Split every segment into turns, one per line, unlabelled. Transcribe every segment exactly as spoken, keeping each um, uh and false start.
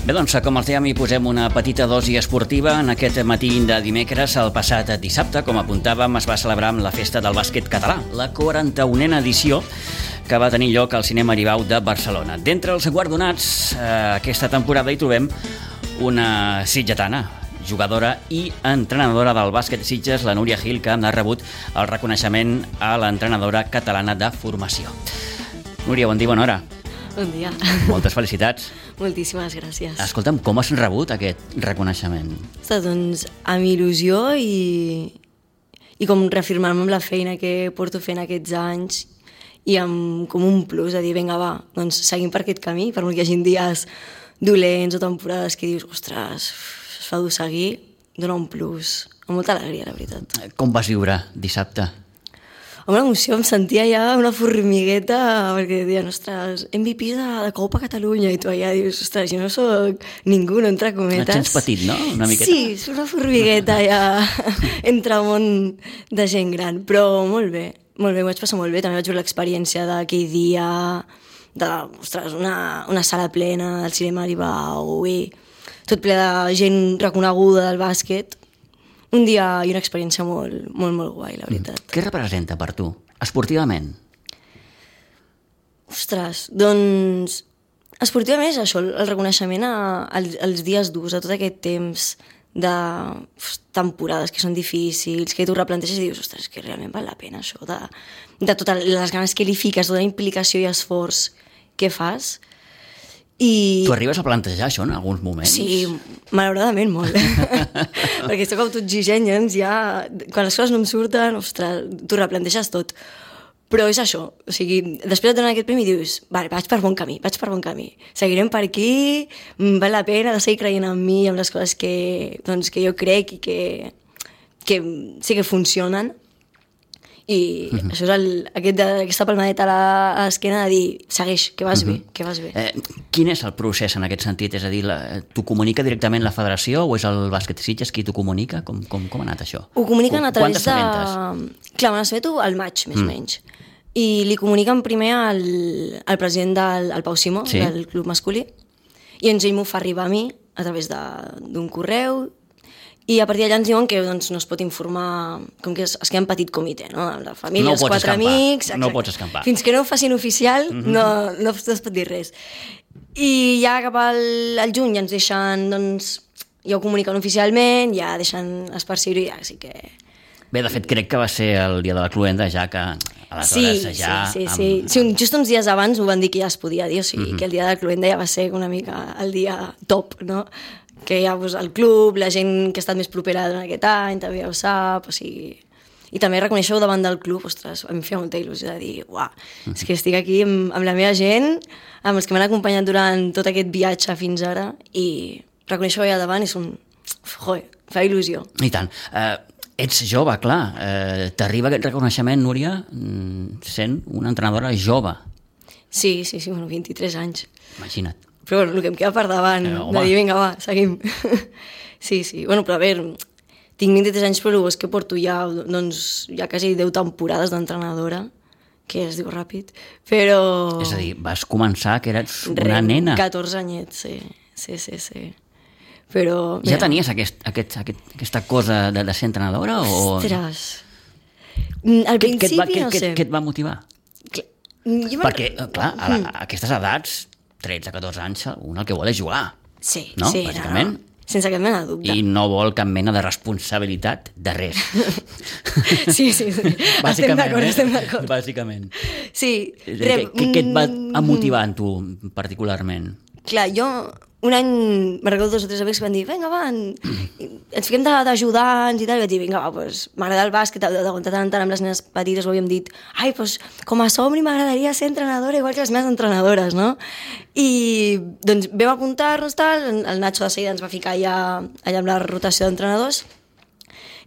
Bé, doncs, com els dèiem, hi posem una petita dosi esportiva. En aquest matí de dimecres, el passat dissabte, com apuntàvem, es va celebrar amb la festa del bàsquet català, la quaranta-unena edició que va tenir lloc al Cinema Aribau de Barcelona. D'entre els guardonats, eh, aquesta temporada hi trobem una sitgetana, jugadora i entrenadora del bàsquet Sitges, la Núria Gil, que ha rebut el reconeixement a l'entrenadora catalana de formació. Núria, bon dia, bona hora.
Bon dia.
Moltes felicitats.
Moltíssimes gràcies.
Escolta'm, com has rebut aquest reconeixement?
Ostres, doncs, amb il·lusió i, i com reafirmar-me amb la feina que porto fent aquests anys i amb com un plus de dir, vinga, va, doncs seguim per aquest camí, per molt que hi hagi dies dolents o temporades que dius, ostres, es fa dur seguir, dona un plus, amb molta alegria, la veritat.
Com vas viure dissabte?
Amb una emoció, em sentia ja una formigueta, perquè deien, ostres, M V P de, de Copa Catalunya, i tu allà dius, ostres, jo no soc ningú, no, entre cometes.
Et sents petit, no? Una miqueta.
Sí, és una formigueta ja entre món de gent gran, però molt bé, molt bé, m'ho vaig passar molt bé, també vaig veure l'experiència d'aquell dia, de, ostres, una, una sala plena del Cinema Aribau, i tot ple de gent reconeguda del bàsquet. Un dia i una experiència molt, molt, molt guai, la veritat.
Què representa per tu, esportivament?
Ostres, doncs... Esportivament és això, el reconeixement a, als, als dies durs, a tot aquest temps de temporades que són difícils, que tu replanteges i dius, ostres, que realment val la pena això, de, de totes les ganes que li fiques, tota la implicació i esforç que fas. I...
Tu arribes a plantejar això en alguns moments?
Sí, malauradament molt. Perquè soc autoexigent, doncs ja, quan les coses no em surten, ostres, tu replanteges tot. Però és això, o sigui, després et donen aquest premi i dius, vale, vaig per bon camí, vaig per bon camí. Seguirem per aquí, val la pena de seguir creient en mi, en les coses que, doncs, que jo crec i que, que sí que funcionen. I uh-huh. això és el, aquest, aquesta palmadeta a l'esquena de dir, segueix, que vas uh-huh. bé, que vas bé.
Eh, quin és el procés en aquest sentit? És a dir, la, t'ho comunica directament la federació o és el bàsquet Sitges qui t'ho comunica? Com, com, com ha anat això?
Ho comuniquen a través
de...
Quantes Clar, me n'assabeto al maig, més o mm. menys. I li comuniquen primer al, al president del al Pau Simó, sí? del club masculí, i ens ell m'ho fa arribar a mi a través d'un correu. I a partir d'allà ens diuen que doncs, no es pot informar, com que es, es queda en petit comitè, no? Amb la família,
no
els quatre
escampar.
amics...
Exacte. No pots escampar.
Fins que no ho facin oficial, mm-hmm. no, no, no es pot dir res. I ja cap al, al juny ja ens deixen, doncs, ja ho comuniquen oficialment, ja deixen esparcir-ho i ja, així que...
Bé, de fet, crec que va ser el dia de la cluenda, ja que aleshores
sí,
ja...
Sí, sí,
amb...
sí. sí un, just uns dies abans ho van dir que ja es podia dir, o sigui,
mm-hmm.
que el dia de la cluenda ja va ser una mica el dia top, no? Que ja pues, el club, la gent que ha estat més propera durant aquest any, també ja ho sap, o sigui... I també reconèixer-ho davant del club, ostres, a mi em feia molta il·lusió de dir, uah, mm-hmm. és que estic aquí amb, amb la meva gent, amb els que m'han acompanyat durant tot aquest viatge fins ara, i reconèixer-ho allà davant és un... Joder, fa il·lusió.
I tant. Uh, ets jove, clar. Uh, T'arriba aquest reconeixement, Núria, sent una entrenadora jove.
Sí, sí, sí, bueno, vint-i-tres anys.
Imagina't.
Però bueno, el que em queda per davant, eh, de dir, vinga, va, seguim. Sí, sí, bueno, però a veure, tinc vint-i-tres anys, però és que porto ja, doncs, ja quasi deu temporades d'entrenadora, que es diu ràpid, però...
És a dir, vas començar que eres una
Re,
nena.
catorze anyets, sí, sí, sí, sí. Però...
Ja
mira,
tenies aquest, aquest, aquest, aquesta cosa de, de ser entrenadora? O...
Ostres, al
Què,
principi
què et va, què,
no sé.
Què, què et va motivar?
Clar, jo
Perquè, clar, a, la, a aquestes edats, tretze catorze anys, un el que vol és jugar.
Sí,
no?
sí,
Bàsicament.
no, no. Sense cap mena de dubte.
I no vol cap mena de responsabilitat de res.
Sí, sí, sí. Estem d'acord,
eh?
estem d'acord.
Bàsicament.
Sí.
Què, què, què et va motivar en tu, particularment?
Clar, jo un any, me recordo dos o tres amics que van dir, vinga, va, ens fiquem d'ajudants i tal, i vaig dir, vinga, va, doncs m'agrada el bàsquet, de tant en tant amb les nenes petites ho havíem dit, ai, doncs com a somni m'agradaria ser entrenadora igual que les meves entrenadores, no? I doncs vam apuntar-nos, tal, el Nacho de seguida ens va ficar allà, allà amb la rotació d'entrenadors,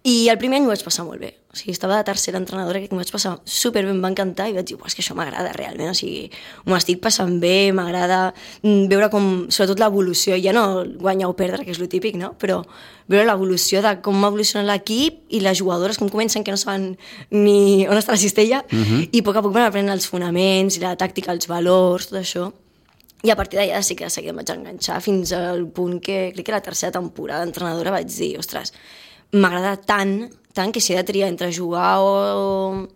i el primer any m'ho vaig passar molt bé. O sigui, estava de tercera entrenadora, que m'ho vaig passar superbé, em va encantar, i vaig dir, és que això m'agrada realment, o sigui, m'ho estic passant bé, m'agrada veure com, sobretot l'evolució, ja no guanyar o perdre, que és lo típic, no? Però veure l'evolució de com evoluciona l'equip i les jugadores, com comencen, que no saben ni on està la cistella, uh-huh. i a poc a poc van aprenent els fonaments, i la tàctica, els valors, tot això. I a partir d'allà sí que de seguida em vaig enganxar fins al punt que, crec que la tercera temporada d'entrenadora vaig dir, ostres, m'agrada tant, tant que si he de triar entre jugar o,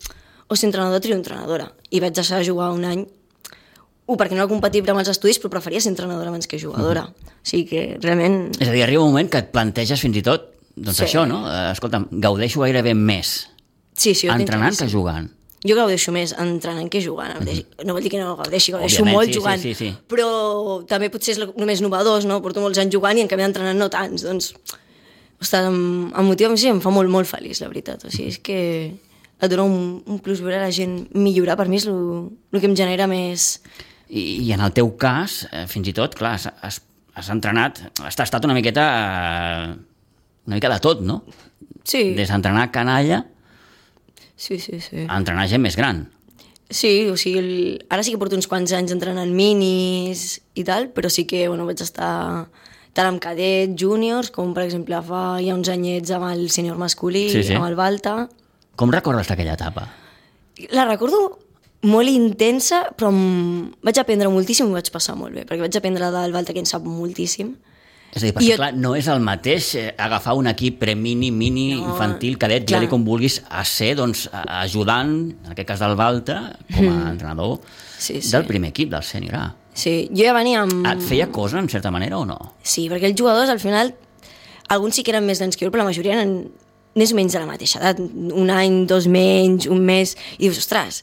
o ser entrenadora, trio entrenadora. I vaig deixar de jugar un any, un, perquè no era compatible amb els estudis, però preferia ser entrenadora abans que jugadora. Uh-huh. O sigui que realment...
És a dir, arriba un moment que et planteges fins i tot, doncs
Sí.
això, no? Eh, Escolta'm, gaudeixo gairebé més
Sí, sí, jo tinc
entrenant que
claríssim.
jugant.
Jo gaudeixo més entrenant que jugant. Mm-hmm. No vol dir que no gaudeixi, gaudeixo
Òbviament,
molt
sí,
jugant.
sí, sí, sí.
Però també potser és només novedós, no? Porto molts anys jugant i en canvi entrenant no tants. Doncs, ostres, em, em motiva, sí, em fa molt, molt feliç, la veritat. O sigui, és que et dona un, un plus veure la gent millorar. Per mi és el que em genera més...
I, i en el teu cas, eh, fins i tot, clar, has, has, has entrenat, has estat una miqueta, eh, una mica de tot, no?
Sí,
Des d'entrenar canalla
sí, sí, sí.
a entrenar gent més gran.
Sí, o sigui, el... ara sí que porto uns quants anys entrenant minis i tal, però sí que bueno, vaig estar tant amb cadet, júniors, com per exemple fa ja uns anyets amb el sènior masculí,
Sí, sí.
amb el Balta.
Com recordes aquella etapa?
La recordo molt intensa, però em... vaig aprendre moltíssim i ho vaig passar molt bé, perquè vaig aprendre del Balta, que en sap moltíssim.
És a dir, perquè
I jo-
clar, no és el mateix eh, agafar un equip pre-mini, mini,
No,
infantil, cadet,
clar.
ja com vulguis, a ser doncs, a- ajudant, en aquest cas del Balta, com a entrenador
Sí, sí.
del primer equip, del sènior A.
Sí, jo ja venia amb...
Et feia cosa, en certa manera, o no?
Sí, perquè els jugadors, al final, alguns sí que eren més grans que jo, però la majoria eren més o menys de la mateixa edat, un any, dos menys, un mes, i dius, ostres,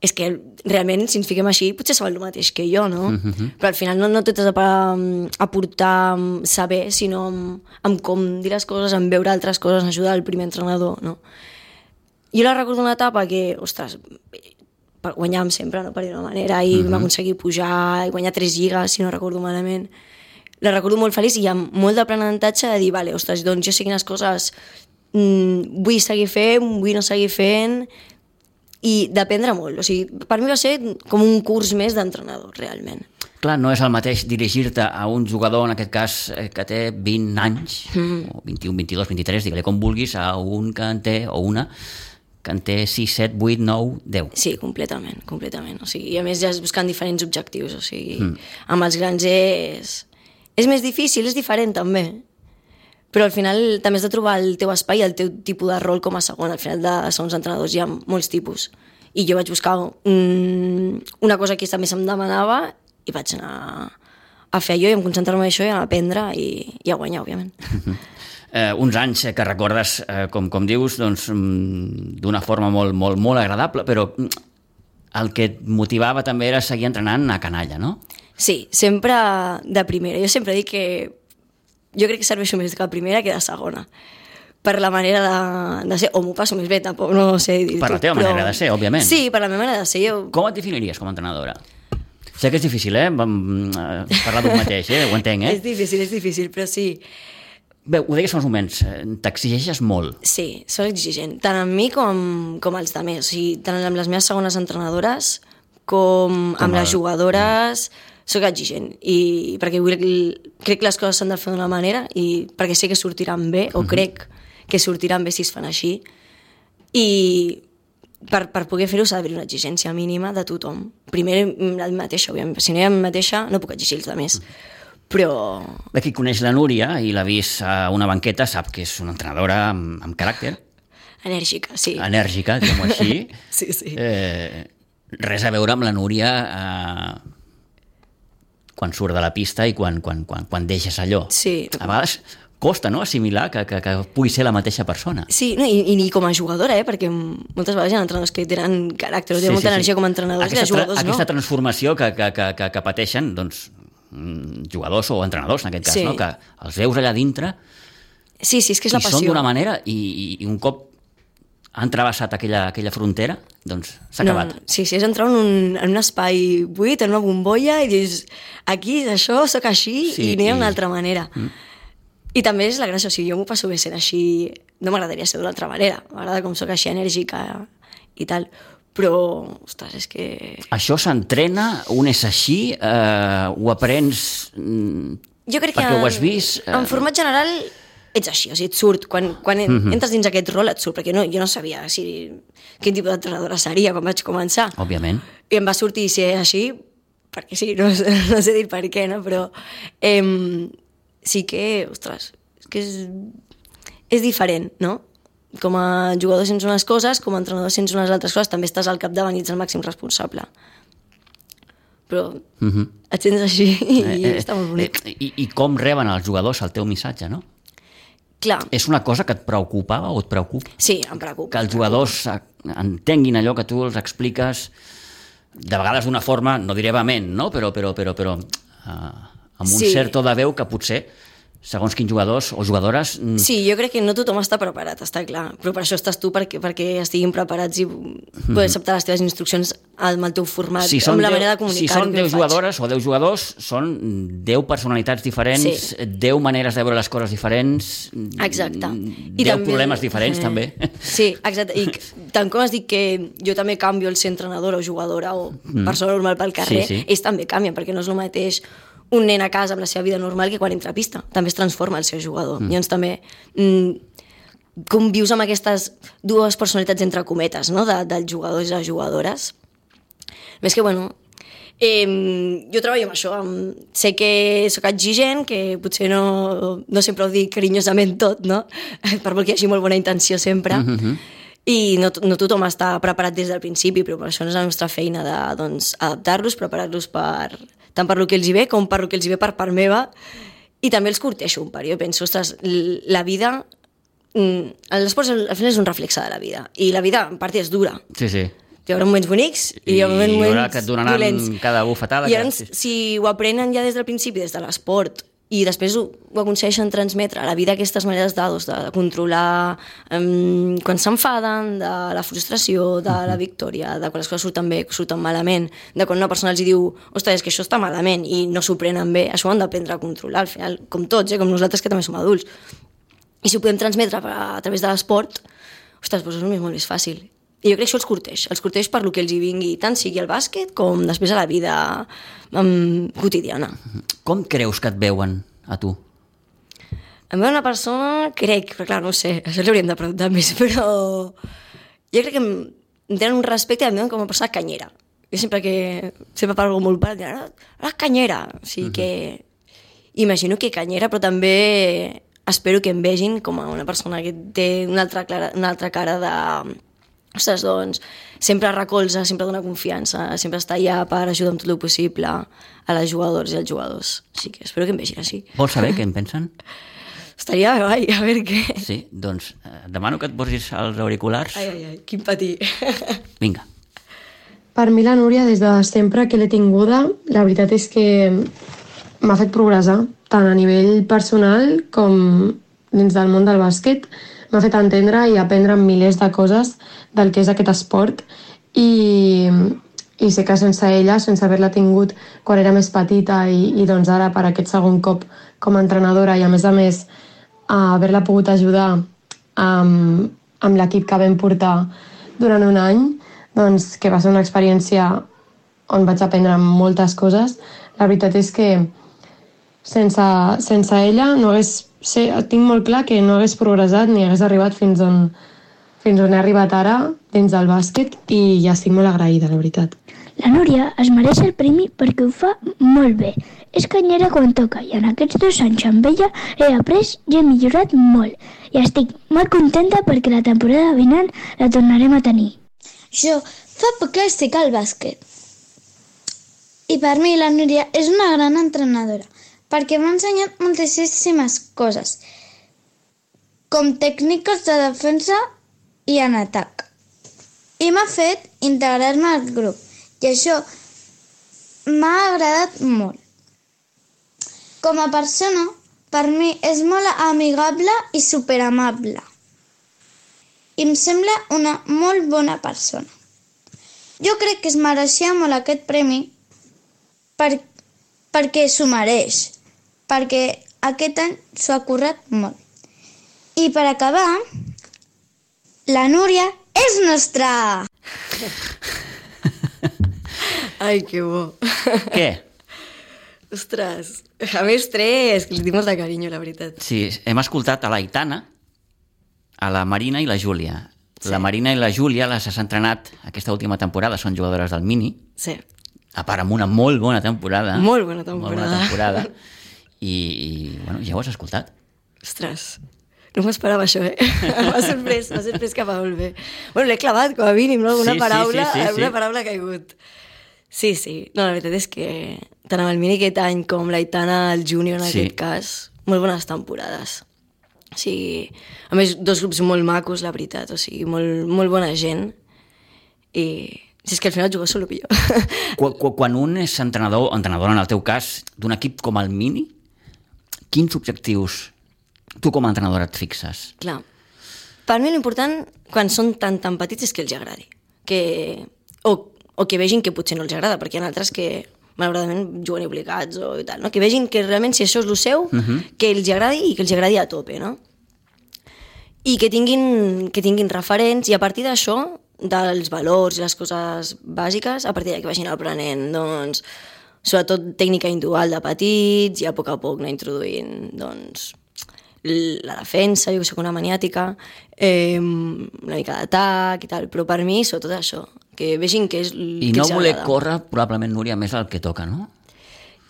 és que realment, si ens fiquem així, potser saben el mateix que jo, no? Mm-hmm. Però al final no, no tot és a, a portar saber, sinó amb, amb com dir les coses, amb veure altres coses, ajudar el primer entrenador, no? Jo la recordo una etapa que, ostres, guanyàvem sempre, no? Per dir una manera, i mm-hmm. vam aconseguir pujar i guanyar tres lligues, si no recordo malament. La recordo molt feliç i amb molt d'aprenentatge de dir, vale, ostres, doncs jo sé quines coses mm, vull seguir fent, vull no seguir fent, i d'aprendre molt. O sigui, per mi va ser com un curs més d'entrenador, realment.
Clar, no és el mateix dirigir-te a un jugador, en aquest cas, eh, que té vint anys, mm. o vint-i-un, vint-i-dos, vint-i-tres, digue-li com vulguis, a un que en té, o una, que en té sis, set, vuit, nou, deu.
Sí, completament, completament. O sigui, i a més ja és buscant diferents objectius. O sigui, mm. amb els grans és... És més difícil, és diferent també. Però al final també has de trobar el teu espai, el teu tipus de rol com a segon. Al final de segons entrenadors hi ha molts tipus. I jo vaig buscar un, una cosa que també se'm demanava i vaig anar a fer allò i em concentrar-me en això i a aprendre i, i a guanyar, òbviament.
Eh, uns anys que recordes, eh, com, com dius, doncs, mm, d'una forma molt, molt, molt agradable, però mm, el que et motivava també era seguir entrenant a canalla, no?
Sí, sempre de primera. Jo sempre dic que jo crec que serveixo més de primera que de segona. Per la manera de, de ser, o m'ho passo més bé, tampoc no sé dir-ho.
Per la teva manera de ser, òbviament.
Sí, per la meva manera de ser. Jo...
Com et definiries com a entrenadora? Sé que és difícil, eh? Vam eh, parlar d'un mateix, eh? Ho entenc, eh?
És difícil, és difícil, però sí.
Bé, ho deies fa uns moments, eh, t'exigeixes molt.
Sí, soc exigent, tant amb mi com, com els altres. O sigui, tant amb les meves segones entrenadores com, com amb les jugadores... Soc exigent, i perquè vull, crec que les coses s'han de fer d'una manera i perquè sé que sortiran bé, o crec que sortiran bé si es fan així, i per, per poder fer-ho s'ha d'haver una exigència mínima de tothom. Primer la mateixa, òbviament. Si no hi ha la mateixa, no puc exigir els altres. Però...
Bé, qui coneix la Núria i l'ha vist a una banqueta sap que és una entrenadora amb, amb caràcter.
Enèrgica, sí.
Enèrgica, diguem-ho així.
Sí, sí.
Eh, res a veure amb la Núria... Eh, quan surt de la pista i quan, quan, quan, quan deixes allò.
Sí.
A vegades costa, no?, assimilar que, que, que pugui ser la mateixa persona.
Sí, no, i, i com a jugadora, eh? Perquè moltes vegades hi ha entrenadors que tenen caràcter, tenen sí, molta sí, energia sí. com a entrenadors,
aquesta,
i jugadors
tra aquesta
no.
transformació que, que, que, que, que pateixen doncs, jugadors o entrenadors, en aquest cas, sí. no? Que els veus allà dintre
sí, sí, és que és la passió.
I són d'una manera i, i, i un cop han travessat aquella, aquella frontera, doncs s'ha
no,
acabat.
Sí, sí, és entrar en un, en un espai buit, en una bombolla, i dius, aquí és això, sóc així, sí, i no hi ha una altra manera. Mm. I també és la gràcia, o sigui, jo m'ho passo bé sent així, no m'agradaria ser d'una altra manera, m'agrada com sóc així enèrgica i tal, però, ostres, és que...
Això s'entrena, un és així, eh, ho aprens
jo crec
perquè
que
ho has vist...
Eh... En format general ets així, o sigui, et surt, quan, quan mm-hmm. entres dins aquest rol et surt, perquè no, jo no sabia si, quin tipus d'entrenadora seria quan vaig començar.
Òbviament.
I em va sortir ser així perquè sí, no, no sé dir per què, no? Però eh, sí que, ostres, és que és, és diferent, no? Com a jugador sents unes coses, com a entrenador sents unes altres coses, també estàs al capdavant i ets el màxim responsable. Però uh-huh. et sents així i eh, eh, està molt bonic.
Eh, i, I com reben els jugadors el teu missatge, no?
Clar.
És una cosa que et preocupava o et preocupa?
Sí, em preocupa.
Que els jugadors entenguin allò que tu els expliques, de vegades d'una forma, no diré vehement, no? però, però, però, però uh, amb un sí. cert to de veu que potser, segons quins jugadors o jugadores...
Sí, jo crec que no tothom està preparat, està clar, però per això estàs tu, perquè, perquè estiguin preparats i mm-hmm. poder acceptar les teves instruccions amb el teu format, si amb la deu, manera de comunicar.
Si són deu jugadores o deu jugadors, són deu personalitats diferents, sí. deu maneres de veure les coses diferents,
exacte.
I deu també, problemes diferents, eh, també.
Sí, exacte, i tant com has dit que jo també canvio el ser entrenadora o jugadora o mm. persona normal pel carrer, sí, sí. ells també canvien, perquè no és el mateix un nen a casa amb la seva vida normal que quan entra a pista. També es transforma el seu jugador. Mm. Llavors també mm, convius amb aquestes dues personalitats entre cometes, no? de, dels jugadors i les jugadores. Més que, bueno, eh, jo treballo amb això. Amb, sé que sóc exigent, que potser no, no sempre ho dic carinyosament tot, no? Per molt que hi hagi molt bona intenció sempre. Mm-hmm. I no, no tothom està preparat des del principi, però per això no és la nostra feina de, doncs, adaptar-los, preparar-los per, tant per lo que els hi ve com per lo que els hi ve per part meva, i també els corteixo un part. Jo penso, ostres, la vida, l'esport al final és un reflexe de la vida, i la vida en part és dura.
Sí, sí.
Hi haurà moments bonics i hi haurà moments
I hi haurà que et donaran dolents. Cada bufetada.
I llavors, que... si ho aprenen ja des del principi, des de l'esport, i després ho, ho aconsegueixen transmetre a la vida aquestes maneres de, de, de controlar um, quan s'enfaden, de la frustració, de la victòria, de quan les coses surten bé, surten malament, de quan una persona els diu ostres, és que això està malament i no s'ho prenen bé, això ho han d'aprendre a controlar al final, com tots, eh, com nosaltres que també som adults. I si ho podem transmetre a, a través de l'esport, ostres, doncs és molt més fàcil. I jo crec que això els corteix, els corteix per lo que els hi vingui, tant sigui al bàsquet com després a la vida um, quotidiana.
Com creus que et veuen a tu?
Em veu una persona, crec, però clar, no ho sé, això li hauríem de preguntar més, però jo crec que em tenen un respecte i em veuen com una persona canyera. Jo sempre que, sempre parlo molt per dir, la canyera, o sigui uh-huh. que imagino que canyera, però també espero que em vegin com a una persona que té una altra, clara, una altra cara de... Ostres, doncs, sempre recolza, sempre dona confiança, sempre està allà per ajudar amb tot el possible a les jugadors i als jugadors. Així que espero que em vegin així.
Vols saber què en pensen?
Estaria bé, a veure què...
Sí, doncs eh, demano que et posis els auriculars.
Ai, ai, ai, quin patir.
Vinga.
Per mi la Núria, des de sempre que l'he tinguda, la veritat és que m'ha fet progressar, tant a nivell personal com dins del món del bàsquet. M'ha fet entendre i aprendre milers de coses del que és aquest esport i, i sé que sense ella, sense haver-la tingut quan era més petita i, i doncs ara per aquest segon cop com a entrenadora i a més a més a haver-la pogut ajudar amb, amb l'equip que vam portar durant un any, doncs que va ser una experiència on vaig aprendre moltes coses. La veritat és que sense, sense ella no hagués, sé, tinc molt clar que no hagués progressat ni hagués arribat fins on, fins on he arribat ara dins del bàsquet i ja estic molt agraïda, la veritat.
La Núria es mereix el premi perquè ho fa molt bé. És canyera quan toca i en aquests dos anys amb ella he après i he millorat molt. I estic molt contenta perquè la temporada vinent la tornarem a tenir.
Jo fa poc que estic al bàsquet. I per mi la Núria és una gran entrenadora perquè m'ha ensenyat moltíssimes coses, com tècniques de defensa i en atac. I m'ha fet integrar-me al grup, i això m'ha agradat molt. Com a persona, per mi és molt amigable i superamable. I em sembla una molt bona persona. Jo crec que es mereixia molt aquest premi per, perquè s'ho mereix, perquè aquest any s'ho ha currat molt. I per acabar, la Núria és nostra!
Ai, que bo.
Què?
Ostres, a més tres, que li tinc molt de carinyo, la veritat.
Sí, hem escoltat a l'Aitana, a la Marina i la Júlia. Sí. La Marina i la Júlia les has entrenat aquesta última temporada, són jugadores del Mini.
Sí.
a part amb una molt bona temporada.
Molt bona temporada.
Molt bona temporada. I, i bueno, ja ho has escoltat.
Ostres, no m'esperava això, eh? M'ha sorprès, m'ha sorprès que va molt bé. Bueno, l'he clavat, com a mínim, no? Alguna
Sí, sí,
paraula,
sí, sí,
alguna
sí.
paraula ha caigut. Sí, sí. No, la veritat és que tant amb el Mini aquest any com l'Aitana, el Júnior en
Sí.
aquest cas, molt bones temporades. O sigui, a més, dos grups molt macos, la veritat, o sigui, molt, molt bona gent. I si és que al final jugues solo millor.
Quan, quan un és entrenador, o entrenadora en el teu cas, d'un equip com el Mini, quins objectius tu com a entrenadora et fixes?
Clar. Per mi l'important, quan són tan tan petits, és que els agradi. Que... O, o que vegin que potser no els agrada, perquè hi ha altres que malauradament juguen obligats o i tal, no? Que vegin que realment si això és el seu, uh -huh. que els agradi i que els agradi a tope, no? I que tinguin, que tinguin referents, i a partir d'això, dels valors i les coses bàsiques, a partir d'aquí vagin aprenent, doncs, sobretot tècnica individual de petits, i a poc a poc anar introduint, doncs, la defensa, jo que soc una maniàtica, eh, una mica d'atac i tal, però per mi, sobretot això, que vegin que és el
I
que
no
els
voler
agrada.
córrer, probablement, Núria, més el que toca, no?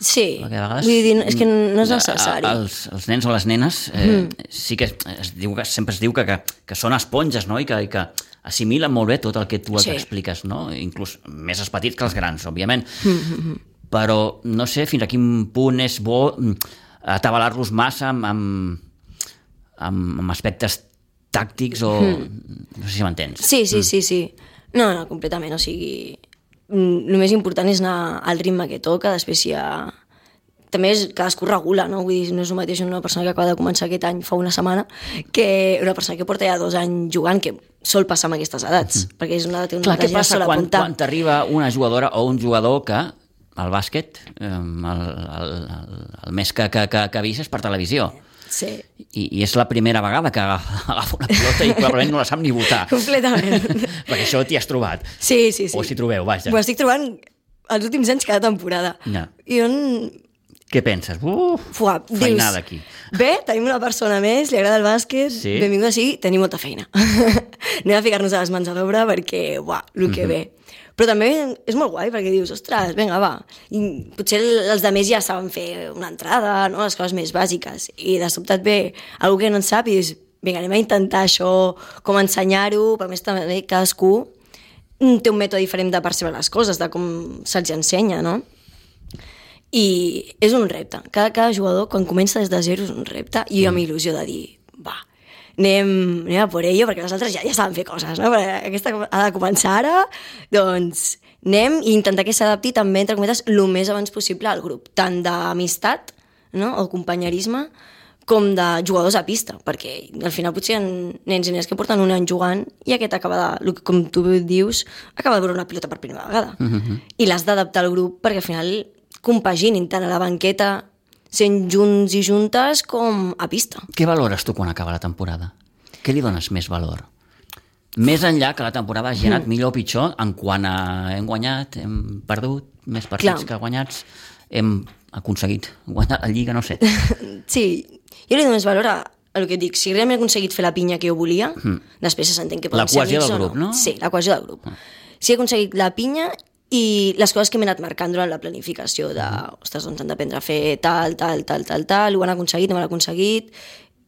Sí,
Perquè a vegades,
vull dir, és que no és necessari.
a- Els, els nens o les nenes eh, mm. sí que es diu que sempre es diu que, que, que són esponges, no? I que, i que assimilen molt bé tot el que tu els
Sí.
expliques, no? Inclús més els petits que els grans, òbviament. Mm-hmm. Però no sé fins a quin punt és bo mm, atabalar-los massa amb, amb, amb, amb aspectes tàctics o... Mm. No sé si m'entens.
Sí, sí, sí, sí. No, no, completament, o sigui... El més important és anar al ritme que toca, després hi ha... També és, cadascú regula, no? Vull dir, no és el mateix una persona que acaba de començar aquest any fa una setmana que una persona que porta ja dos anys jugant, que sol passar amb aquestes edats, mm. perquè és una edat
Clar,
que
què passa
sol
quan,
apuntar.
quan t'arriba una jugadora o un jugador que el bàsquet, eh, el, el, el, el més que, que, que, que vist és per televisió,
Sí,
I, i és la primera vegada que agafa, agafa una pilota i probablement no la sap ni votar.
completament.
Perquè això t'hi has trobat.
Sí, sí, sí.
O s'hi trobeu, vaja.
M'ho estic trobant els últims anys cada temporada.
Ja.
I on...
Què penses? Uf,
Fuà, dius,
feinada aquí.
bé, tenim una persona més, li agrada el bàsquet,
Sí.
benvinguda sigui, tenim molta feina. Anem a ficar-nos a les mans a l'obra perquè, uah, el que
Mhm.
ve. Però també és molt guai perquè dius, ostres, vinga, va. I potser els de més ja saben fer una entrada, no? Les coses més bàsiques. I de sobte et ve algú que no en sap i dius, vinga, anem a intentar això, com ensenyar-ho, per més també cadascú té un mètode diferent de percebre les coses, de com se'ls ensenya, no? I és un repte. Cada, cada jugador, quan comença des de zero, és un repte. I jo amb il·lusió de dir, va, anem, anem a por ello, perquè les altres ja, ja saben fer coses, no? Perquè aquesta ha de començar ara, doncs anem i intentar que s'adapti també, entre cometes, el més abans possible al grup, tant d'amistat, no?, o companyerisme, com de jugadors a pista, perquè al final potser hi ha nens i nenes que porten un any jugant i aquest acaba de, com tu dius, acaba de veure una pilota per primera vegada. Mm-hmm. I l'has d'adaptar al grup perquè al final compaginin tant a la banqueta sent junts i juntes com a pista.
Què valores tu quan acaba la temporada? Què li dones més valor? Més enllà que la temporada hagi anat millor o pitjor en quant a hem guanyat, hem perdut, més partits
Clar.
que guanyats, hem aconseguit guanyar la Lliga, no sé.
Sí, jo li dono més valor a, a el que et dic. Si realment he aconseguit fer la pinya que jo volia, mm. després s'entén que
La
podem ser
cohesió
amics
del
o
grup, no?
Sí, la cohesió del grup. Mm. Si he aconseguit la pinya i les coses que m'he anat marcant durant la planificació de, ostres, doncs han d'aprendre a fer tal, tal, tal, tal, tal, ho han aconseguit, no ho han aconseguit,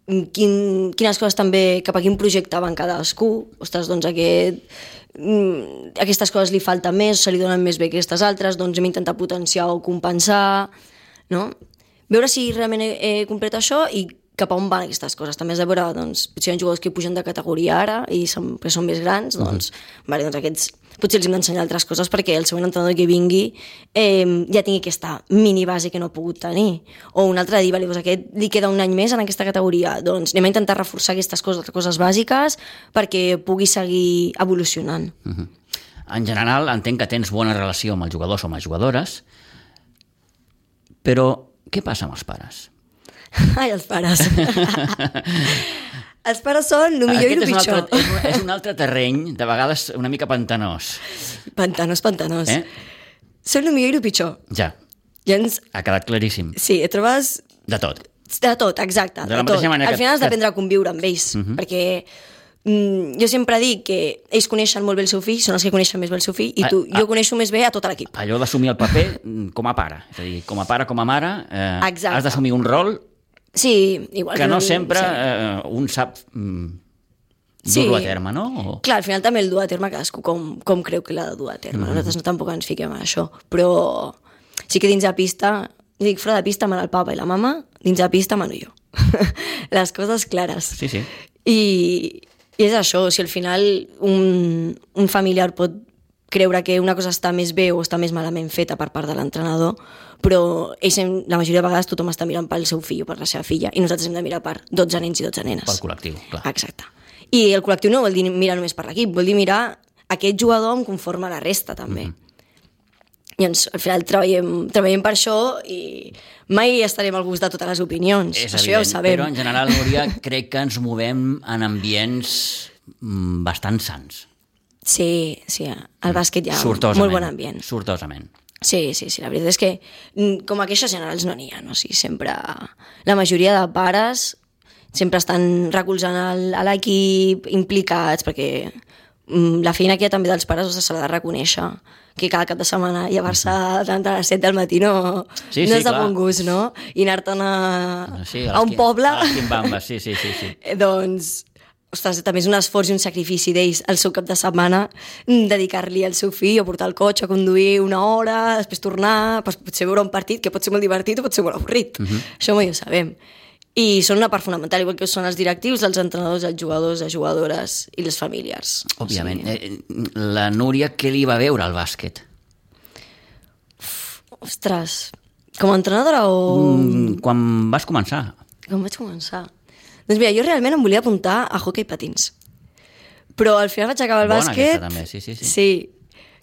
Quin, quines coses també, cap a quin projecte van cadascú, ostres, doncs aquest, mm, aquestes coses li falta més, se li donen més bé que aquestes altres, doncs hem intentat potenciar o compensar, no? Veure si realment he, he complet això i cap a on van aquestes coses. També has de veure, doncs, potser hi ha jugadors que pugen de categoria ara i som, que són més grans, doncs, mm. vale, doncs aquests potser els hem d'ensenyar altres coses perquè el següent entrenador que vingui eh, ja tingui aquesta mini base que no ha pogut tenir. O un altre dir, vale, doncs aquest li queda un any més en aquesta categoria, doncs anem a intentar reforçar aquestes coses, coses bàsiques perquè pugui seguir evolucionant.
Uh-huh. En general, entenc que tens bona relació amb els jugadors o amb les jugadores, però què passa amb els pares?
Ai, els pares. Els pares són el millor
Aquest
i el
és un,
pitjor.
altre, és, un, és un altre terreny, de vegades una mica pantanós.
Pantanós, pantanós.
Eh?
Són el millor i el pitjor.
Ja,
Llavors,
ha quedat claríssim.
sí, et trobes
De tot.
de tot, exacte.
De la
tot.
mateixa manera
Al
que-
final has
que-
d'aprendre a conviure amb ells,
Mhm.
perquè mm, jo sempre dic que ells coneixen molt bé el seu fill, són els que coneixen més bé el seu fill, i tu,
a, a,
jo coneixo més bé a tot l'equip.
Allò d'assumir el paper com a pare. És a dir, com a pare, com a mare, eh, has d'assumir un rol
sí, igual
que
que
no
un,
sempre
sí.
eh, un sap mm,
sí.
dur-lo a terme, no? O...
Clar, al final també el dur a terme cadascú com, com creu que l'ha de dur a terme. Mm-hmm. Nosaltres no tampoc ens fiquem en això, però sí que dins de pista, dic, fora de pista mana el papa i la mama, dins de pista mano jo. Les coses clares.
Sí, sí.
I, i és això, si al final un, un familiar pot creure que una cosa està més bé o està més malament feta per part de l'entrenador, però ells, la majoria de vegades tothom està mirant pel seu fill o per la seva filla, i nosaltres hem de mirar per dotze nens i dotze nenes.
Pel col·lectiu, clar.
Exacte. I el col·lectiu no vol dir mirar només per l'equip, vol dir mirar aquest jugador en conforme a la resta, també. Mm-hmm. Llavors, al final treballem, treballem per això i mai estarem al gust de totes les opinions.
És
això
evident,
ja ho sabem.
Però en general, Núria, crec que ens movem en ambients bastant sans.
Sí, sí, al bàsquet hi ha
sortosament,
molt bon ambient.
Sortosament.
Sí, sí, sí, la veritat és que com a queixes generals no n'hi ha, no? O sigui, sempre, la majoria de pares sempre estan recolzant el, a l'equip, implicats, perquè mm, la feina que hi ha també dels pares se l'ha de reconèixer, que cada cap de setmana llevar-se a les set del matí no,
sí, sí,
no és de
clar.
bon gust, no? I anar-te'n a,
sí,
a un
qui,
poble...
A les quimbambes, sí, sí, sí, sí.
Doncs, ostres, també és un esforç i un sacrifici d'ells el seu cap de setmana, dedicar-li al seu fill o portar el cotxe a conduir una hora, després tornar, potser veure un partit que pot ser molt divertit o pot ser molt avorrit. Uh-huh. Això mai ho sabem. I són una part fonamental, igual que són els directius, els entrenadors, els jugadors, les jugadores i les famílies.
Òbviament.
O sigui...
eh, la Núria, què li va veure al bàsquet?
Ostres, com a entrenadora o...
Mm, quan vas començar?
Com vaig començar? Doncs mira, jo realment em volia apuntar a hoquei patins. Però al final vaig acabar el
Bona
bàsquet...
aquesta, també, sí, sí. Sí,
sí.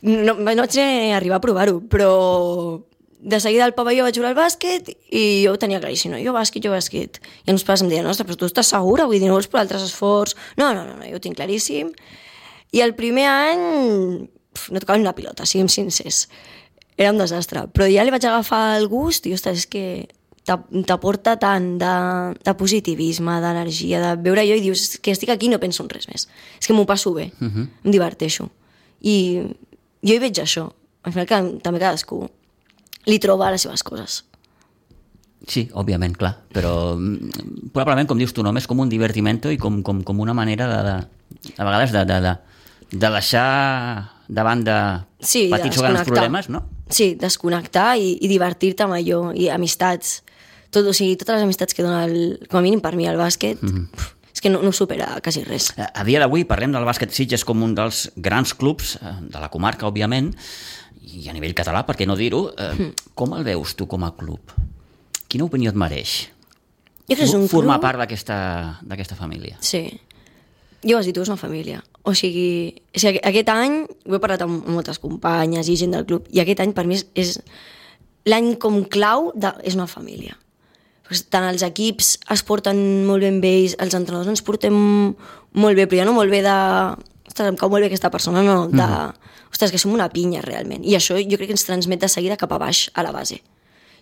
No, no vaig arribar a provar-ho, però de seguida al pavelló vaig jugar al bàsquet i jo ho tenia claríssim, no? Jo bàsquet, jo bàsquet. I els pares em deien, ostres, però tu estàs segura? Vull dir, no vols per altres esforç? No, no, no, no, jo ho tinc claríssim. I el primer any pf, no tocava ni una pilota, siguem sincers. Era un desastre. Però ja li vaig agafar el gust i, ostres, és que t'aporta tant de, de positivisme, d'energia, de veure jo i dius que estic aquí i no penso en res més. És que m'ho passo bé, uh-huh. Em diverteixo. I jo hi veig això. Al final que, també cadascú li troba les seves coses.
Sí, òbviament, clar, però probablement, com dius tu, només com un divertimento i com, com, com una manera de, de a vegades de, de, de, de deixar de banda
sí,
petits o grans problemes, no?
Sí, desconnectar i, i divertir-te amb allò, i amistats. Tot, o sigui, totes les amistats que dona, el, com a mínim per mi, el bàsquet, mm-hmm. pf, és que no, no supera quasi res.
A, a dia d'avui parlem del bàsquet Sitges com un dels grans clubs de la comarca, òbviament, i a nivell català, per què no dir-ho, eh, mm. com el veus tu com a club? Quina opinió et mereix?
Jo crec que és un
formar
club...
part d'aquesta família.
Sí. Jo ho has dit, tu, és una família. O sigui, o sigui, aquest any, ho he parlat amb moltes companyes i gent del club, i aquest any per mi és, és l'any com clau de, és una família. Perquè tant els equips es porten molt ben bé, els entrenadors ens portem molt bé, però ja no molt bé de... Ostres, em cau molt bé aquesta persona, no, de... Mm. Ostres, que som una pinya, realment. I això jo crec que ens transmet de seguida cap a baix, a la base.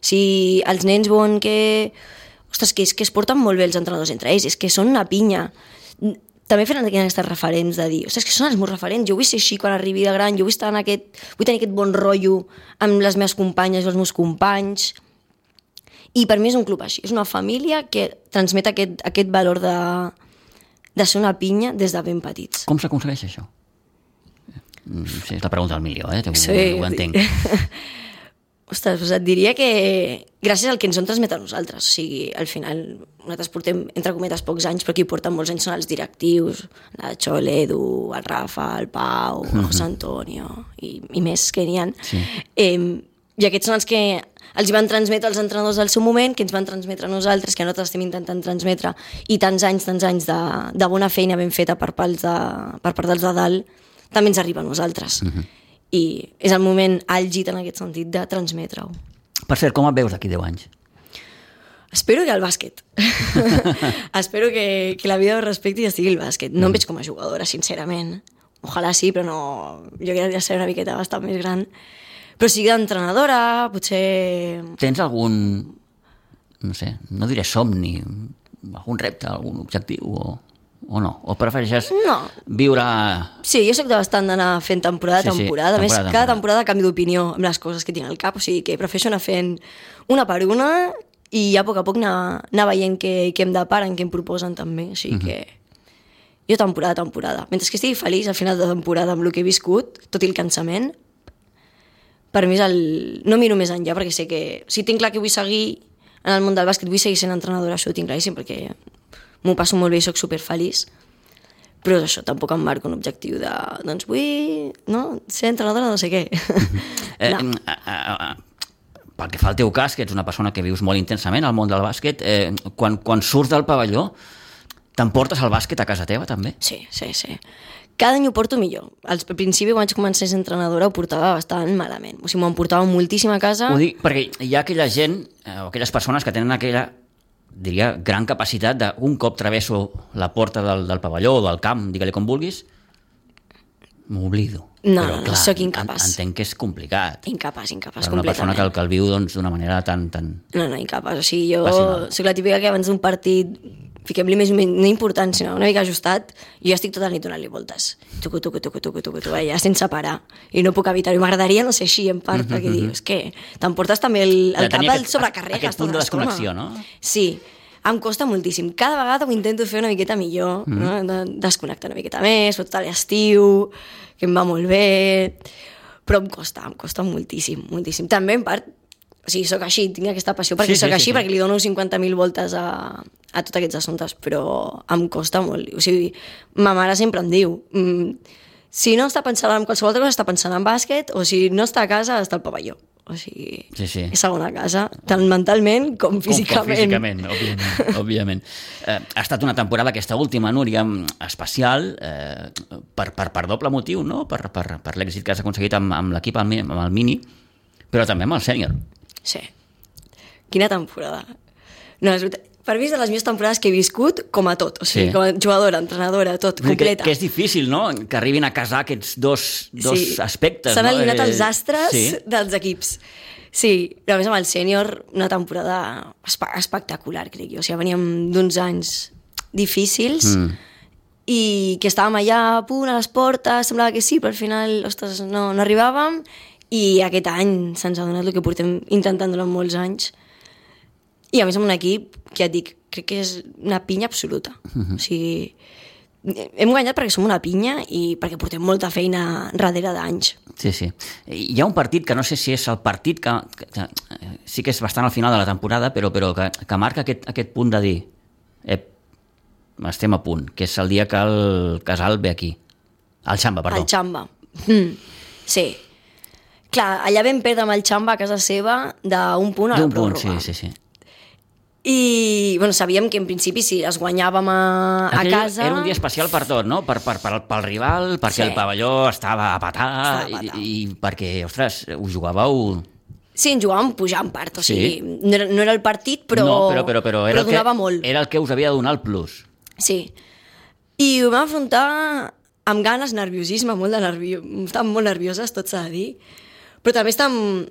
Si els nens veuen que... Ostres, que, és, que es porten molt bé els entrenadors entre ells, és que són una pinya. També feren aquestes referents de dir, ostres, que són els meus referents, jo vull ser així quan arribi de gran, jo vull estar en aquest... Vull tenir aquest bon rotllo amb les meves companyes i els meus companys. I per mi és un club així, és una família que transmet aquest, aquest valor de, de ser una pinya des de ben petits.
Com s'aconsegueix això? Sí, és la pregunta del milió, eh?
Sí.
Ho entenc.
Ostres, doncs et diria que gràcies al que ens han transmet a nosaltres. O sigui, al final, nosaltres portem, entre cometes, pocs anys, però qui porten molts anys són els directius, la Xol, l'Edu, el Rafa, el Pau, el José Antonio, i, i més que n'hi ha. Sí. Eh, I aquests són els que els van transmetre els entrenadors del seu moment, que ens van transmetre a nosaltres, que nosaltres estem intentant transmetre, i tants anys, tants anys de, de bona feina ben feta per, de, per part dels de dalt, també ens arriba a nosaltres. Uh-huh. I és el moment àlgid en aquest sentit de transmetre-ho.
Per cert, com et veus d'aquí deu anys?
Espero que al bàsquet. Espero que, que la vida ho respecti i estigui al bàsquet. No mm. em veig com a jugadora, sincerament. Ojalà sí, però no... Jo crec que ja seré una miqueta bastant més gran. Però sigui d'entrenadora, potser...
Tens algun, no sé, no diré somni, algun repte, algun objectiu o o no? O prefereixes
no.
viure...
Sí, jo soc de bastant d'anar fent temporada a
sí, sí,
temporada. A més,
temporada,
cada
temporada.
temporada canvio d'opinió amb les coses que tinc al cap, o sigui que prefereixo anar fent una per una i ja a poc a poc anar, anar veient què, què em deparen, què em proposen també. O sigui que jo temporada a temporada. Mentre que estigui feliç al final de temporada amb el que he viscut, tot i el cansament, per mi és el... no miro més enllà perquè sé que... Si tinc clar que vull seguir en el món del bàsquet, vull seguir sent entrenadora, això ho tinc claríssim, perquè m'ho passo molt bé i soc superfeliç. Però és això, tampoc em marco un objectiu de... doncs vull no, ser entrenadora no sé què.
Eh,
no.
eh, eh, eh, pel que fa al teu cas, que ets una persona que vius molt intensament al món del bàsquet, eh, quan, quan surts del pavelló, t'emportes el bàsquet a casa teva, també?
Sí, sí, sí. Cada any ho porto millor. Al principi, quan vaig començar a ser entrenadora, ho portava bastant malament. O sigui, m'ho emportava moltíssim a casa.
Ho dic perquè hi ha aquella gent, eh, o aquelles persones que tenen aquella, diria, gran capacitat de, un cop travesso la porta del, del pavelló o del camp, digue-li com vulguis, m'oblido.
No,
Però,
no,
clar,
sóc incapaç.
En, entenc que és complicat.
Incapaç, incapaç,
Per una persona
completament.
que, que el viu doncs, d'una manera tan... tan...
No, no, incapaç. O sigui, jo
Passional.
soc la típica que abans d'un partit fiquem-li més, no important, sinó una mica ajustat, i jo estic tota la nit donant-li voltes. Tucu, tucu, tucu, tucu, tucu, tucu, ja sense parar. I no puc evitar-ho. M'agradaria no ser així, en part, mm -hmm. perquè dius, què? T'emportes també el, el
De
cap
tenir
al
aquest-
sobrecarregues.
aquest punt
tota
de
l'estona.
desconnexió, no?
Sí, em costa moltíssim. Cada vegada ho intento fer una miqueta millor, mm. no? De desconnectar una miqueta més, sobretot a l'estiu, que em va molt bé, però em costa, em costa moltíssim, moltíssim. També, en part, o sigui, sóc així, tinc aquesta passió perquè
Sí, sí,
sóc
sí,
així,
sí.
perquè li dono cinquanta mil voltes a, a tots aquests assumptes, però em costa molt. O sigui, ma mare sempre em diu, mm, si no està pensant en qualsevol altra cosa, està pensant en bàsquet, o si no està a casa, està al pavelló. O sigui,
Sí, sí.
és segona casa, tant mentalment com físicament.
Com físicament, òbviament. òbviament. Eh, ha estat una temporada, aquesta última, Núria, especial, eh, per, per, per doble motiu, no? Per, per, per l'èxit que has aconseguit amb, amb l'equip, amb, amb el Mini, però també amb el sènior.
Sí. Quina temporada. No, és veritat. Per mi és de les millors temporades que he viscut com a tot. O sigui,
Sí.
com a jugadora, entrenadora, tot,
Vull dir
completa.
Que, que és difícil, no?, que arribin a casar aquests dos, dos
Sí.
aspectes.
S'han
no?
eliminat
Eh,
els astres
sí.
dels equips. Sí, però a més amb el sènior, una temporada espe- espectacular, crec jo. O sigui, veníem d'uns anys difícils
Mm.
i que estàvem allà a punt, a les portes, semblava que sí, però al final, ostres, no, no arribàvem, i aquest any se'ns ha donat el que portem intentant durant molts anys. I a més amb un equip que et dic, crec que és una pinya absoluta. Uh-huh. O sigui, hem guanyat perquè som una pinya i perquè portem molta feina darrere d'anys.
Sí, sí. Hi ha un partit que no sé si és el partit que, que, que sí que és bastant al final de la temporada, però, però que, que marca aquest, aquest punt de dir ep, estem a punt, que és el dia que el Casal ve aquí. El Xamba, perdó.
El Xamba. Mm. Sí. Clar, allà vam perdre amb el Xamba a casa seva d'un punt a la
D'un punt,
pròrroga.
sí, sí, sí.
I bueno, sabíem que en principi si les guanyàvem a, a
Aquell
casa...
era un dia especial per tot, no? Per, per, per, pel rival, perquè
Sí.
el pavelló estava a petar,
Estava a petar.
i, i perquè, ostres, us jugàveu...
Sí, ens jugàvem pujant part, o
Sí.
sigui, no, era, no era el partit, però,
no, però, però, però, era,
però donava
el que,
molt.
era el que us havia de donar el plus.
Sí. I ho vam afrontar amb ganes, nerviosisme, molt de nerviós. Estàvem molt nervioses, tot s'ha de dir. Però també estàvem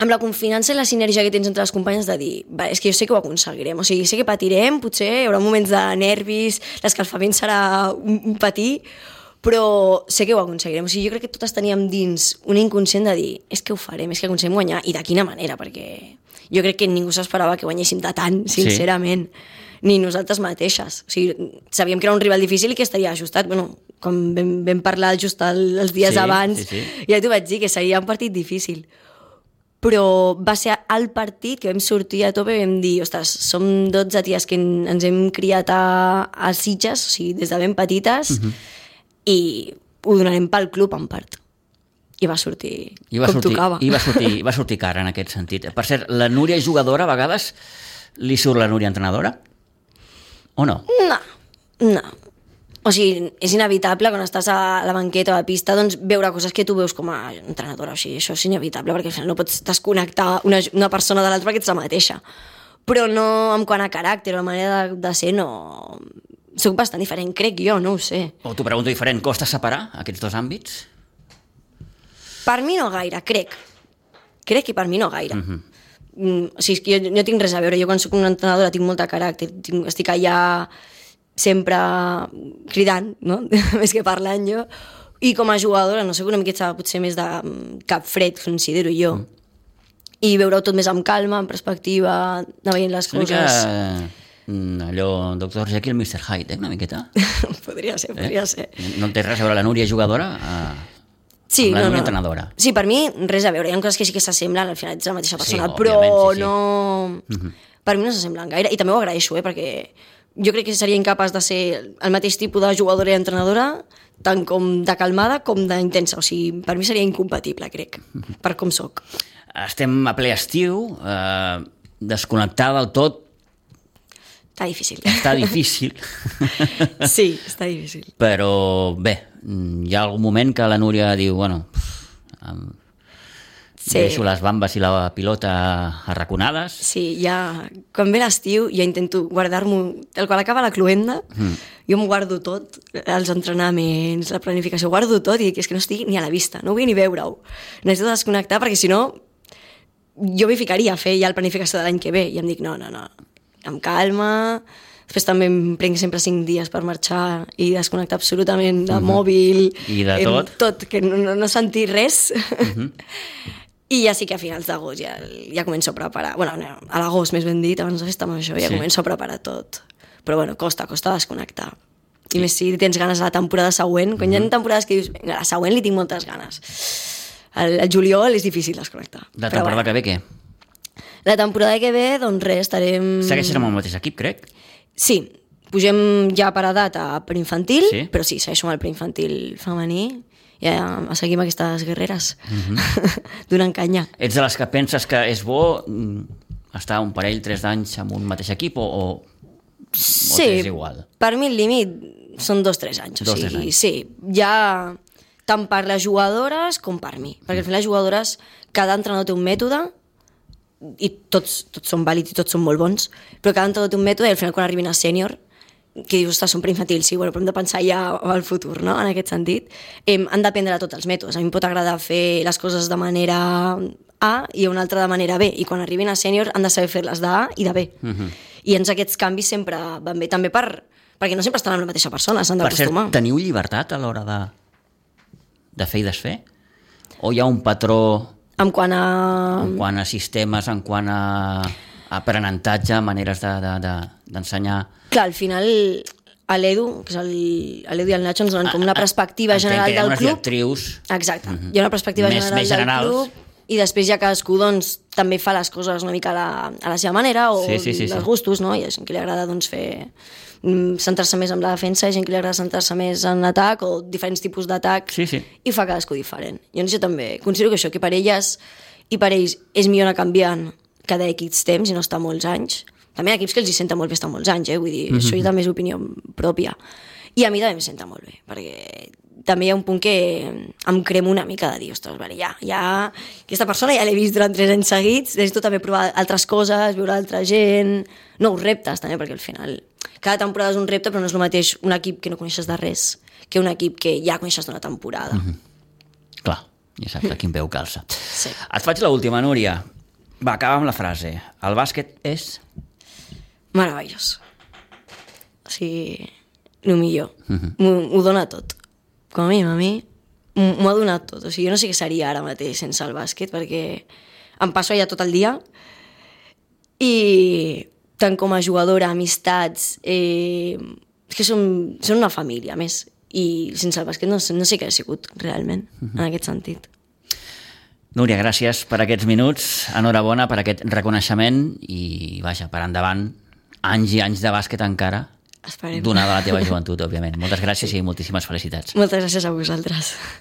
amb la confiança i la sinergia que tens entre les companyes de dir, va, és que jo sé que ho aconseguirem, o sigui, sé que patirem, potser hi haurà moments de nervis, l'escalfament serà un, un patir, però sé que ho aconseguirem. O sigui, jo crec que totes teníem dins un inconscient de dir, és que ho farem, és que aconseguim guanyar, i de quina manera, perquè jo crec que ningú s'esperava que guanyéssim de tant, sincerament. Sí. Ni nosaltres mateixes. O sigui, sabíem que era un rival difícil i que estaria ajustat. Bueno, com vam, vam parlar just el, els dies
Sí,
abans,
sí, sí.
ja t'ho vaig dir, que seria un partit difícil. Però va ser el partit que vam sortir a tope i vam dir, ostres, som dotze ties que en- ens hem criat a, a Sitges, o sigui, des de ben petites, uh-huh. i ho donarem pel club en part. I va sortir
I va
com
sortir,
tocava.
i va sortir, va sortir cara en aquest sentit. Per cert, la Núria jugadora, a vegades, li surt la Núria entrenadora? O no?
No, no. O sigui, és inevitable quan estàs a la banqueta o a la pista doncs, veure coses que tu veus com a entrenadora. O sigui, això és inevitable perquè al final no pots desconnectar una, una persona de l'altra perquè ets la mateixa. Però no en quant a caràcter o la manera de, de ser, no... Soc bastant diferent, crec jo, no ho sé.
O t'ho pregunto diferent, costa separar aquests dos àmbits?
Per mi no gaire, crec. Crec que per mi no gaire.
Mhm.
Mm, o sigui, és que jo no tinc res a veure. Jo quan soc una entrenadora tinc molt de caràcter, tinc, estic allà sempre cridant, no? Més que parlant jo. I com a jugadora, no sé, una miqueta potser més de cap fred, considero jo. Mm. I veure-ho tot més amb calma, amb perspectiva, anar veient les
una
coses.
Mica allò, doctor Jekyll, mister Hyde, eh? Una miqueta.
Podria ser, podria eh? ser.
No té res a veure la Núria jugadora a...
Sí,
amb la
no,
Núria
no.
entrenadora.
Sí, per mi res a veure. Hi ha coses que sí que s'assemblen, al final ets la mateixa persona,
sí,
però
sí, sí.
no...
Uh-huh.
Per mi no s'assemblen gaire, i també ho agraeixo, eh, perquè jo crec que seria incapaç de ser el mateix tipus de jugadora i entrenadora, tant com de calmada com d'intensa. O sigui, per mi seria incompatible, crec, uh-huh. per com soc.
Estem a ple estiu, eh, desconnectar del tot
està difícil.
Està difícil.
Sí, està difícil.
Però bé, hi ha algun moment que la Núria diu, bueno, em sí. deixo les bambes i la pilota arraconades.
Sí, ja, quan ve l'estiu ja intento guardar-m'ho, el qual acaba la cloenda, mm. jo m'ho guardo tot, els entrenaments, la planificació, guardo tot i dic, és que no estigui ni a la vista, no vull ni veure-ho. Necessito desconnectar perquè si no jo m'hi ficaria a fer ja la planificació de l'any que ve i em dic, no, no, no, amb calma. Després també em prenc sempre cinc dies per marxar i desconnectar absolutament de uh-huh. mòbil.
I de tot.
Tot, que no, no, no sentir res. Uh-huh. I ja sí que a finals d'agost ja, ja començo a preparar. Bueno, no, a l'agost, més ben dit, abans de festa major, ja sí. començo a preparar tot. Però bueno, costa, costa desconnectar. I sí. més si tens ganes a la temporada següent. Quan uh-huh. hi ha temporades que dius, vinga, la següent li tinc moltes ganes. El, el juliol és difícil desconnectar.
La temporada bueno. que ve què?
La temporada que ve, doncs res, estarem...
Segueixes amb el mateix equip, crec?
Sí, pugem ja per edat a preinfantil, sí? però sí, segueixo amb el preinfantil femení i ja seguim aquestes guerreres uh-huh. donant canya.
Ets de les que penses que és bo estar un parell, tres d'anys amb un mateix equip o, o,
sí,
o t'és igual?
Per mi el límit són dos, tres anys.
Dos,
o sigui,
tres anys.
Sí, ja tant per les jugadores com per mi, perquè al final les jugadores, cada entrenador té un mètode i tots, tots són vàlids i tots són molt bons, però cada entrenador té un mètode i al final quan arribin a sènior, que dius, ostres, són preinfantil, sí, bueno, però hem de pensar ja al futur, no?, en aquest sentit. Eh, han d'aprendre tots els mètodes. A mi em pot agradar fer les coses de manera A i una altra de manera B, i quan arribin a sènior han de saber fer-les d'A i de B. Uh-huh. I ens aquests canvis sempre van bé, també per, perquè no sempre estan amb la mateixa persona, s'han d'acostumar.
Per cert, teniu llibertat a l'hora de, de fer i desfer? O hi ha un patró...
En quant a...
En quant a sistemes, en quant a aprenentatge, maneres de, de, de, d'ensenyar...
Clar, al final a l'Edu, que és el, l'Edu i el Nacho ens donen com una perspectiva
Entenc
general del club.
Entenc que hi ha unes directrius...
Exacte, uh-huh. hi ha una perspectiva
més,
general
més
del
generals.
club i després ja cadascú doncs, també fa les coses una mica a la, a la seva manera o
sí, sí, sí,
dels
sí.
gustos, no? Hi ha gent que li agrada doncs, fer centrar-se més en la defensa, hi ha gent que li agrada centrar-se més en l'atac o diferents tipus d'atac
sí, sí.
i fa cadascú diferent. Jo, jo també considero que això, que per elles i per ells és millor anar canviant cada X temps i no estar molts anys. També hi ha equips que els hi senta molt bé estar molts anys, eh? Vull dir, mm-hmm. això ja també és opinió pròpia. I a mi també em senta molt bé, perquè també hi ha un punt que em cremo una mica de dir, ostres, vale, ja, ja, aquesta persona ja l'he vist durant tres anys seguits, necessito també provar altres coses, veure altra gent, nous reptes també, perquè al final cada temporada és un repte, però no és el mateix un equip que no coneixes de res que un equip que ja coneixes d'una temporada.
Mm-hmm. Clar, ja saps a quin peu calça.
Sí.
Et faig l'última, Núria. Va, acaba amb la frase. El bàsquet és...
meravellós. O sigui, el millor. Mm-hmm. M'ho, m'ho dona tot. Com a mi, a mi, m'ho ha donat tot. O sigui, jo no sé què seria ara mateix sense el bàsquet, perquè em passo allà tot el dia i tant com a jugadora, amistats, eh, és que són, són una família, més. I sense el bàsquet no, no sé què ha sigut, realment, mm-hmm. en aquest sentit.
Núria, gràcies per aquests minuts, enhorabona per aquest reconeixement i, vaja, per endavant, anys i anys de bàsquet encara,
Esperem.
donada la teva joventut, òbviament. Moltes gràcies sí. i moltíssimes felicitats.
Moltes gràcies a vosaltres.